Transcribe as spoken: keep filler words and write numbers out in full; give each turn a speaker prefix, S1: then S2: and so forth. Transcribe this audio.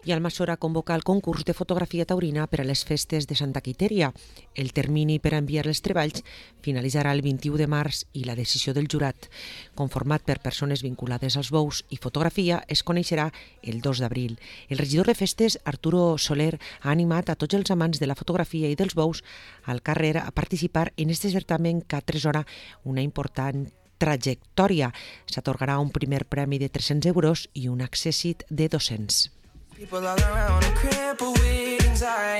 S1: I Almassora convoca el concurs de fotografia taurina per a les festes de Santa Quitèria. El termini per a enviar els treballs finalitzarà el vint-i-u de març i la decisió del jurat, conformat per persones vinculades als bous i fotografia, es coneixerà el dos d'abril. El regidor de festes, Arturo Soler, ha animat a tots els amants de la fotografia i dels bous al carrer a participar en este certamen que atresora una important trajectòria. S'atorgarà un primer premi de tres-cents euros i un accèssit de dos-cents.